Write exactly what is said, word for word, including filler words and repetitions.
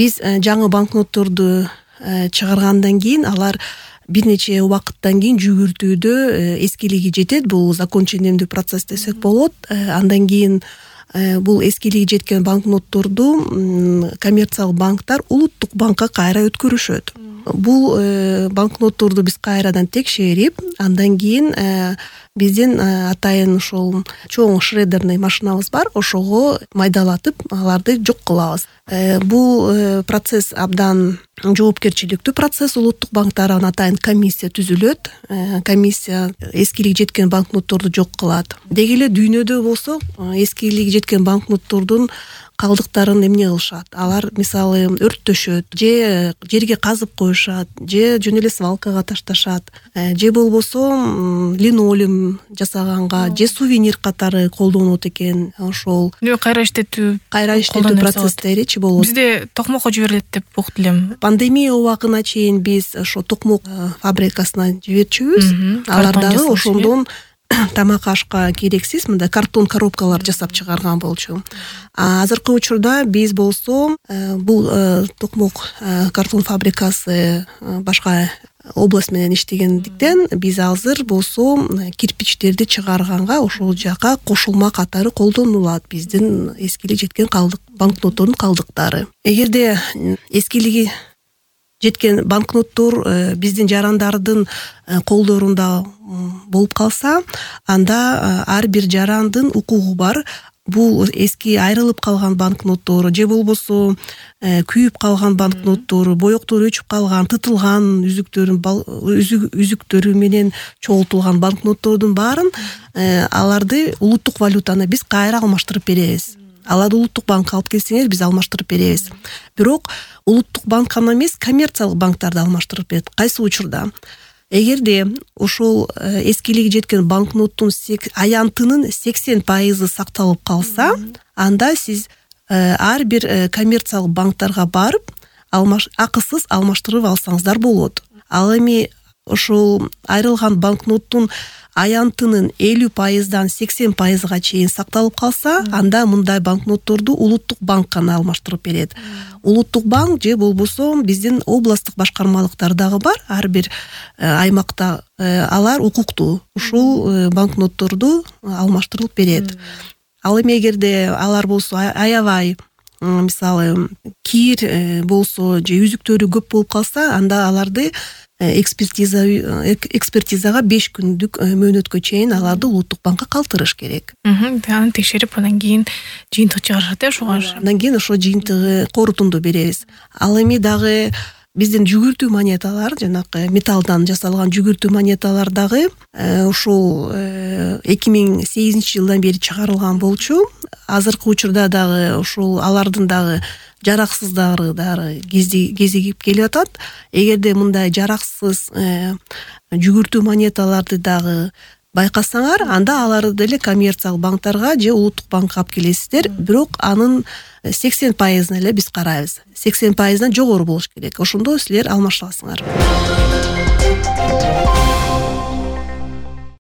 биз жаңы банкнотторду чыгаргандан кийин алар бир нече убакыттан кийин жүгүртүүдө эскилиги жетет. Бул законченемдүү процесс десек болот. Андан кийин бул эскилиги жеткен банкнотторду коммерциялык банктар улуттук банкка кайра өткөрүшөт. Бул банкнотторду биз кайрадан текшерип, андан кийин биздин атайын ошол чоң шредерный машинабыз бар, ошого майдалатып аларды жок кылабыз. Бул процесс абдан жоопкерчиликтүү процесс. Улуттук банктардан атайын комиссия түзүлөт. Комиссия эскилиги жеткен банкнотторду жок кылат. Деги эле дүйнөдө болсо эскилиги жеткен банкноттордун калдыктарын эмне кылышат? Алар мисалы өрттөшөт, же жерге казып коюшат, же жөн эле свалкага ташташат, же болбосо линолеум жасаганга, же сувенир катары колдонот экен. Ошол кайра иштетүү, кайра иштетүү процесстеричи болот. Бизде токмокко жиберилет деп уктум элем. Пандемия убагына чейин биз ошо токмок фабрикасына жиберчүбүз. Алар дагы ошондон тамак ашка керексиз мындай картон коробкалар жасап чыгарган болчу. А азыркы учурда биз болсо бул токмок картон фабрикасы башка область менен иштегендиктен биз азыр болсо кирпичтерди чыгарганга ошол жака кошулма катары колдонулат биздин эскилиги жеткен калдык банкноттордун калдыктары. Эгерде эскилиги жеткен банкноттор биздин жарандардын колдорунда болуп калса, анда ар бир жарандын укугу бар. Бул эски айрылып калган банкноттор, же болбосо күйүп калган банкноттор, боектору өчүп калган, тытылган үзүктөрүн үзүктөрү менен чогултулган банкноттордун баарын аларды улуттук валютаны биз кайра алмаштырып беребиз. Аларды улуттук банкка алып келсеңер, биз алмаштырып беребиз. Бирок улуттук банк гана эмес, коммерциялык банктарды алмаштырып берет. Кайсы учурда? Эгерде ошол эскилиги жеткен банкноттун аянтынын сексен пайызы сакталып калса, анда сиз ар бир коммерциялык банктарга барып, акысыз алмаштырып алсаңыздар болот. Ал эми ошол айрылган банкноттун аянтынын элүү пайыздан сексен пайызга чейин сакталып калса, анда мындай банкнотторду улуттук банк гана алмаштырып берет. Улуттук банк же болбосо биздин областтык башкармалыктар дагы бар, ар бир аймакта алар укуктуу ушул банкнотторду алмаштырып берет. Ал эми эгерде алар болсо аябай мисалы кир болсо же үзүктөрү көп болуп калса, анда аларды экспертиза экспертизага беш күндүк мөөнөткө чейин аларды улуттук банкка калтырыш керек. Аны текшерип, андан кийин жыйынтык чыгарышат, э, ошого. Андан кийин ошо жыйынтыгы корутунду беребиз. Ал эми дагы биздин жүгүртүү монеталар, жанакы металлдан жасалган жүгүртүү монеталар дагы ушул эки миң сегизинчи жылдан бери чыгарылган болчу. Азыркы учурда дагы ушул алардын дагы жараксыздары дагы кезигип келип атат. Эгерде мындай жараксыз жүгүртүү монеталарды дагы байкасаңар, анда аларды деле коммерциялык банктарга же улуттук банкка алып келесиздер. Бирок анын сексен пайызын эле биз карайбыз. сексен пайыздан жогору болуш керек. Ошондо силер алмаша аласыңар.